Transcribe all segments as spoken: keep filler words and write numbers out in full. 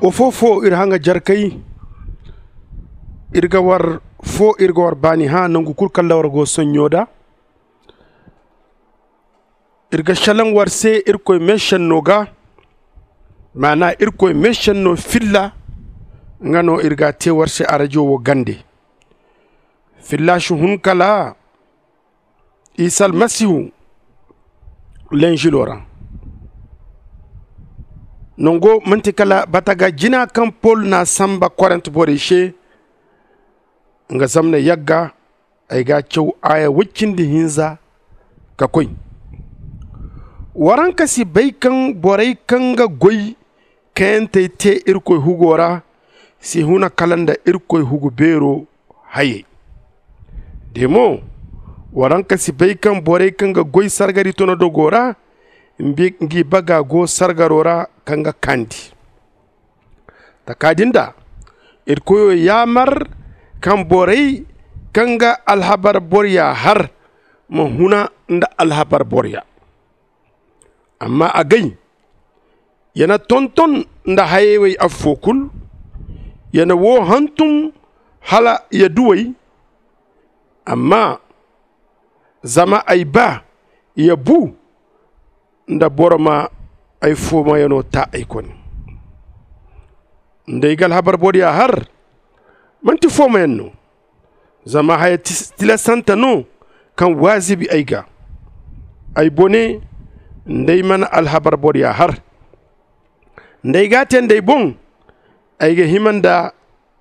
Wo foo foo iri haŋa jarkey, iri ga war foo iri ga war baani hã nangu kul kaŋ ra war go sonɲo da. Iri ga šelaŋ war se irkoy meešenno ga, maana irkoy meešenno filla. Nga no iri ga a tee war se arajo wo gande. Filla si hun kala isa almasihu lenžilo ra. Nango man'ti kala bataga jina kaŋ pol n'a sanba korent borey se. Nga zamna yagga ay ga a caw aaya woy cindi hinza ka koy. Waraŋ ka si bay kaŋ borey kaŋ ga goy kayantey tee irkoy hugo ra si huna kala nda irkoy hugu beero hayey. De mo, waraŋ ka si bay kaŋ borey kaŋ ga goy sargari tono dogo ra ngi baga go sargaro ra kaŋ ga kaandi. Taka din da irkoyo yaamar kaŋ borey kaŋ ga alhabar borya har ma huna nda alhabar borya. Amma agay ya na tonton nda hayey wey affoo kul. Ya na woo hantum hala ya du wey. Amma zama ay ba ya bu nda boro ma ay foomayanoo ta ay kone. Nda ay ga alhabar borya har man'ti foomayan no. Zama haya tilasante no kaŋ waazibi ay ga. Ay bone nda ay mana alhabar borya har nda ay ga a tee nda ay boŋ ay ga hima nda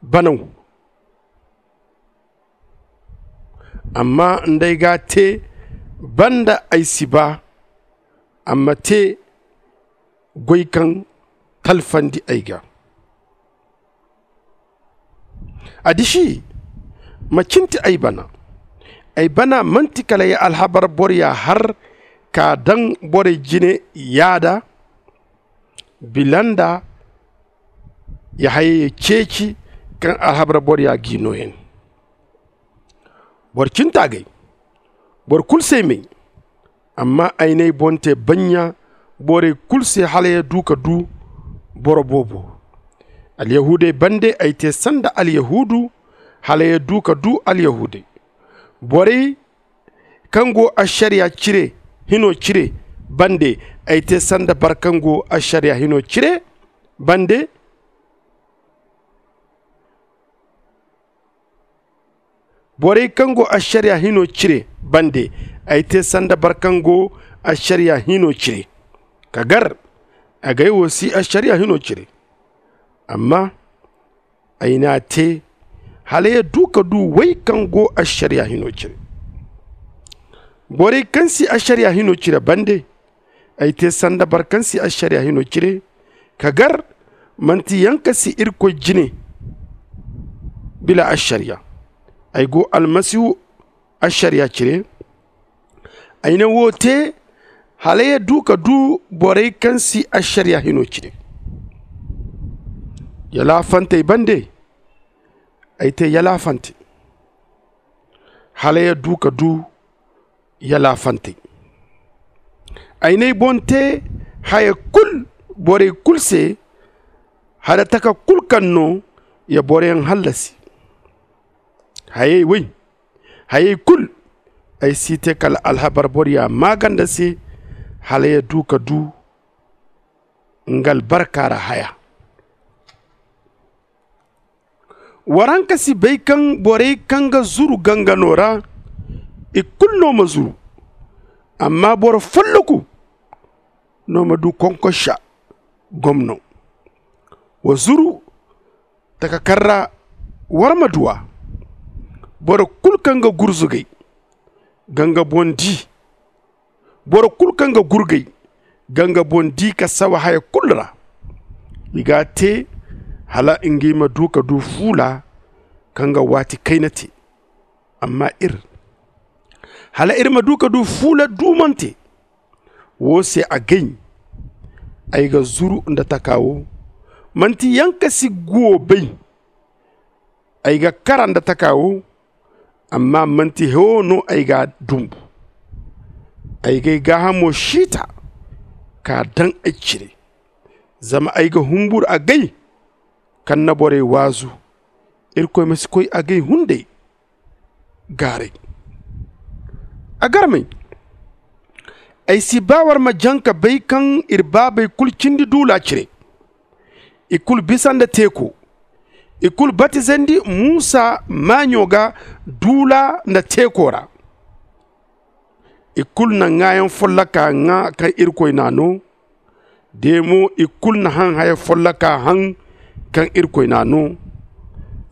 banaw. Amma nda ay ga a tee banda ay si ba a ma tee goy kaŋ talfandi ay ga. Addiši ma cinti ay bana. Ay bana man'ti kala ya alhabar borya har ka daŋ borey jine yaada bila nda ya hayey ceeci kaŋ alhabar borya g'i nooyan. Boro cinta gay boro kul se ay may. Amma ay n'ay boŋ tee baɲɲa borey kul se hala ya du ka du boro boobo. Alyahuudey bande ay tee sanda alyahuudu hala ya du ka du alyahuudey. Borey kaŋ go ašariya cire hino cire bande ay tee sanda boro kaŋ go ašariya hino cire bande. Borey kaŋ go ašariya hino cire bande ay tee sanda boro kaŋ go ašariya hino cire. Ka gar agay wo si ašariya hino cire. Amma ay n'a tee hala ya du ka du wey kaŋ go ašariya hino cire. Borey kaŋ si ašariya hino cire bande ay tee sanda boro kaŋ si ašariya hino cire. Ka gar man'ti yaŋ ka si irkoy jine bila ašariya. Ay go almasihu ašariya cire. Ay na wo tee hala ya du ka du borey kaŋ si ašariya hino cire. Yalaafantey bande ay tee yalaafante hala ya du ka du yalaafantey. Ay n'ay boŋ tee haya kul borey kul se hala taka kul kaŋ no ya boroyaŋ hallasi. Hayey wey hayey kul ay si tee kala alhabar borya maaganda se hala ya du ka du nga albarka ra haya. Waraŋ ka si bay kaŋ borey kaŋ ga zuru gangano ra i kulu no ma zuru. Amma boro folloku no ma du konkosa gomno. Wa zuru taka kaŋ ra war ma du a. Boro kulu kaŋ ga gurzugay ga nga boŋ di. Boro kulu kaŋ ga gurgay ga nga boŋ di ka sawa haya kulu ra. I g'a te hala ngey ma du ka du fuula kaŋ ga waati kayna te. Amma iri hala iri ma du ka du fuula duumante. Wo se a gay ay ga zuru nda taka wo. Manti yankasi guwo bay. Ay ga kara nda taka wo. Amma manti hewo no ay ga dumbu. Ay gay gaahamo siita ka daŋ ay cire. Zama ay ga humburu a gay kaŋ na borey waazu. Irkoy ma si koy agay hunday gaaray. A garmey, ay si ba war ma jaŋ ka bay kaŋ ir baabey kulu cindi duula cire. I kulu bisa nda teeko. I kulu batizandi muusa maaɲo ga duula nda teeko ra. I kulu na ŋaayaŋ folloka ŋaa kaŋ irkoy n'a no. De mo i kulu na haŋ haya folloka haŋ kaŋ irkoy n'a no.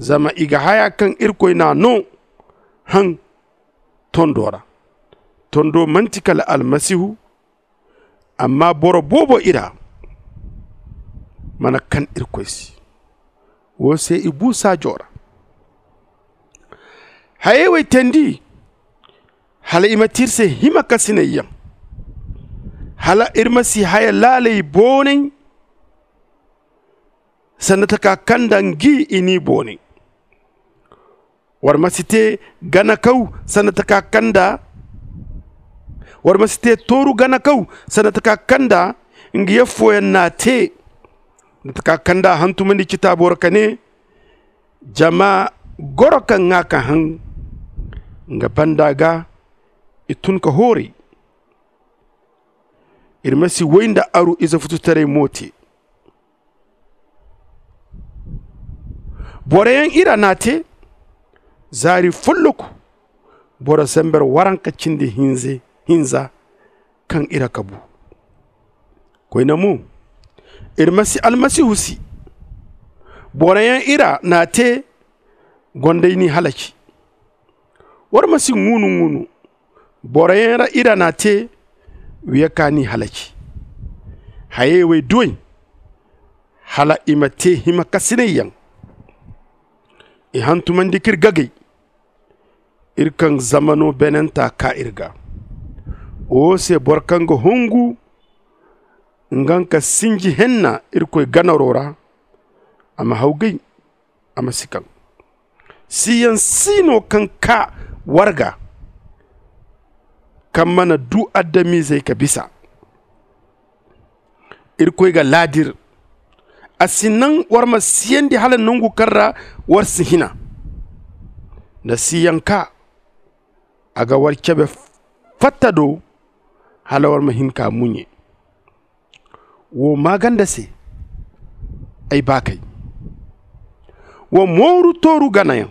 Zama i ga haya kaŋ irkoy n'a no haŋ tondo ra. Tondo manti kala almasihu. Amma boro boobo i ra mana kan irkoy se. Wo se i bu saajo ra. Hayey wo ay teendi hala i ma ti ir se hima kasinayyaŋ. Hala ir ma si haya laaley boonay sanda taka kaŋ nda ngi i n'i boonay. War ma si te ganakaw sanda taka kaŋ nda war ma si te tooru ganakaw sanda taka kaŋ nda ngi yaffooyaŋ n'a te. Nda taka kaŋ nda a hantumandi citaabo ra ka ne, jama goro ka ŋaa ka haŋ nga banda ga i tun ka hooray. Ir ma si woy nda aru ize fututaray mo te. Boroyaŋ ira n'a te zaari folloku boro sambar waranka cindi hinza kaŋ ira ka bu. Koyne mo, ir ma si almasihu si. Boroyaŋ ira n'a te gonda i n'i halaci. War ma si ŋuunu-ŋuunu. Boroyaŋ ra ira n'a te wiya ka n'i halaci. Hayey wo ay du ay hala i ma te hima kasinayyaŋ. I hantumandi ka ir gagay. Ir kaŋ zamano beenanta kaa ir ga. Wo se boro kaŋ ga hungu nga nga sinji henna irkoy ganaro ra, a ma hawgay, a ma si kaŋ. Siyaŋ si no kaŋ kaa war ga kaŋ mana du adamizey ka bisa. Irkoy ga laadir. A si naŋ war ma siyandi hala nangu kaŋ ra war si hina. Nda siyaŋ kaa a ga war cabe fatta do hala war ma hin ka muɲe. Wo maaganda se ay baakey, wa mooru tooru ganayaŋ.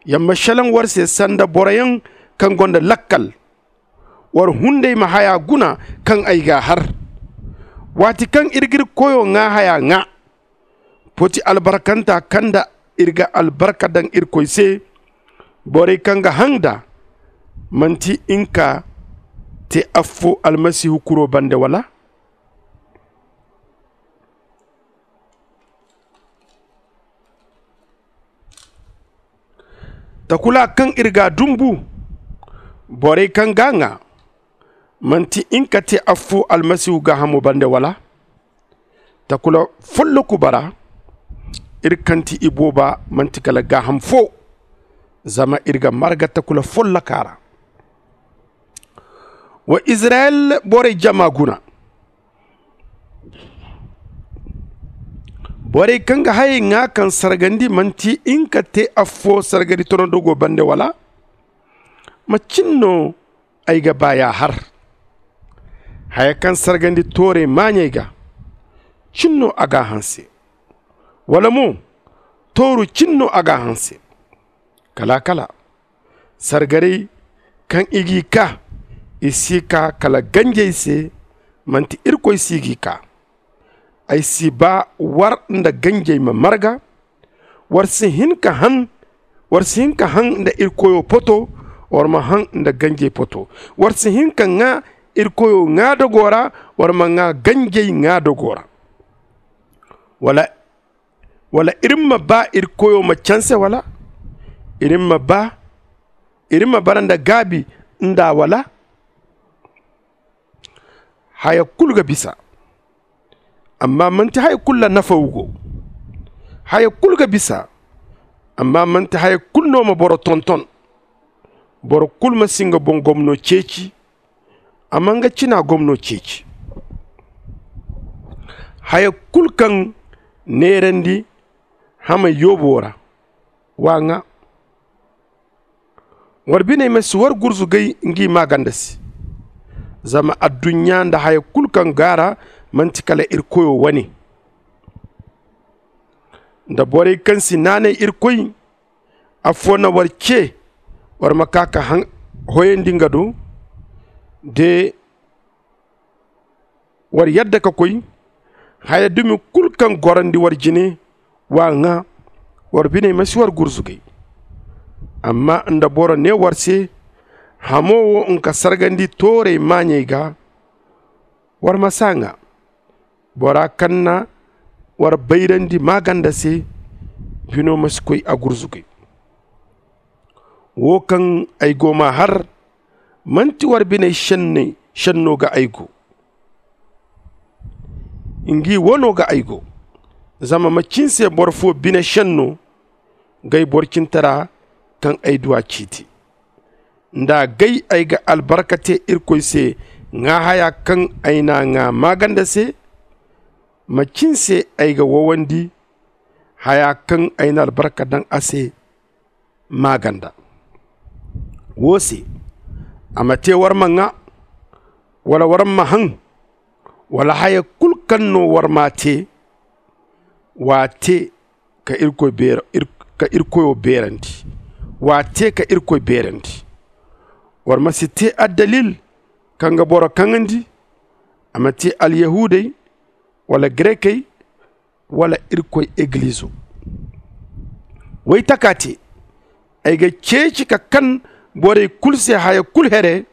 Yamma šelaŋ war se sanda boroyaŋ kaŋ gonda lakkal. War hunday ma haya guna kaŋ ay g'a har. Waati kaŋ ir ga ir koyo ŋaa haya ŋaa, poti albarkanta kaŋ nda ir ga albarka daŋ irkoy se. Borey kaŋ ga haŋ nd'a manti nga ka te affo almasihu kuro bande wala? Takula kaŋ ir g'a dumbu borey kaŋ g'a ŋaa manti nga ka te affo almasihu gaahamo bande wala? Takula folloku bara ir kaŋ ti ibooba manti kala gaaham fo. Zama ir ga marga takula folloka ra. Wa izirayel borey jama guna. Borey kaŋ ga hayey ŋaa kaŋ sargandi manti nga ka te affo sargari tonodogo bande wala? Ma cin no ay ga ba ya har. Haya kaŋ sargandi toorey maaɲey ga cin no a g'a hanse. Wala mo tooru cin no a g'a hanse. Kala kala sargarey kaŋ i g'i kaa i si kaa kala ganjey se. Manti irkoy si g'i kaa. Ay si ba war nda ganjey ma marga. War si hin ka han war si hin ka han nda irkoyo poto. War ma han nda ganjey poto. War si hin ka ŋaa irkoyo ŋaadogo ra. War ma ŋaa ganjey ŋaadogo ra. Wala wala iri ma ba iri koyo ma canse wala? Iri ma ba iri ma bara nda gaabi nda wala? Haya kulu ga bisa. Amma manti haya kulu ra nafa wo go. Haya kulu ga bisa. Amma manti haya kulu no ma boro tonton. Boro kulu ma si nga boŋ gomno ceeci. Amma nga cina gomno ceeci. Haya kulu kaŋ neerandi hamay yoobo ra. Wa ŋaa. War biney ma si war gurzugay ngi maaganda se. Zama adduɲɲa nda haya kulu kaŋ go a ra man'ti kala irkoyo wane. Nda borey kaŋ si naanay irkoy affoo na war cee, war ma kaa ka hoyandi nga do. De war yadda ka koy haya dumi kulu kaŋ gorandi war jine. Wa ŋaa. War biney ma si war gurzugay. Amma nda boro nee war se, hamoo wo nka sargandi tooray maaɲey ga, war ma si a ŋaa. Bora kaŋ na war bayrandi maaganda se, bino ma si koy a gurzugay. Wo kaŋ ay go m'a har, man'ti war biney šenno ga ay go. Ngi wano ga ay go. Zama macin se boro foo bine šenno g'ay borcintara kaŋ ay du a ciiti? Nda gay ay ga albarka tee irkoy se ŋaa haya kaŋ ay n'a ŋaa maaganda se, macin se ay ga wowandi haya kaŋ ay na albarka daŋ a se maaganda? Woo se, a ma tee war ma ŋaa, wala war ma haŋ, wala haya kulu kaŋ no war m'a tee, w'a tee ka irkoyo beerandi. W'a tee ka irkoy beerandi. War ma si tee addalil kaŋ ga boro kaŋandi. A ma tee alyahuudey, wala garekey, wala irkoy egilizo. Waytaka tee, ay ga ceeci ka kan borey kulu se haya kulu here.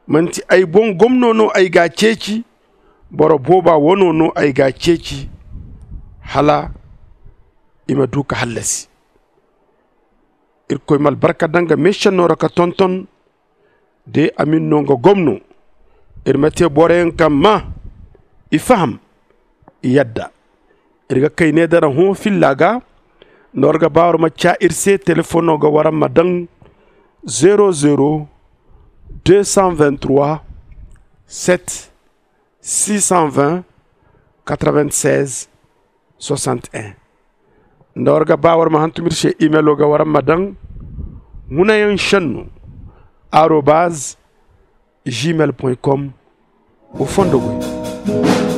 Man'ti ay boŋ gomno no ay g'a ceeci, boro booba wano no ay g'a ceeci, hala i ma du ka hallasi. Irkoy ma albarka daŋ nga meešenno ra ka tonton. De a ma ni no nga gomno, ir ma tee boroyaŋ kaŋ maa, i faham, i yadda. Ir ga kay ne dara hõ filla ga. Nda war ga ba war ma caa ir se telefoŋo ga war ma daŋ, zero zero deux cent vingt trois, sept six cent vingt, quatre vingt seize, soixante et un. Nda war ga ba war ma hantum ir se, imelo ga war ma daŋ, hunayaŋ šenno arobaz gmail point com. Wa fondo goy.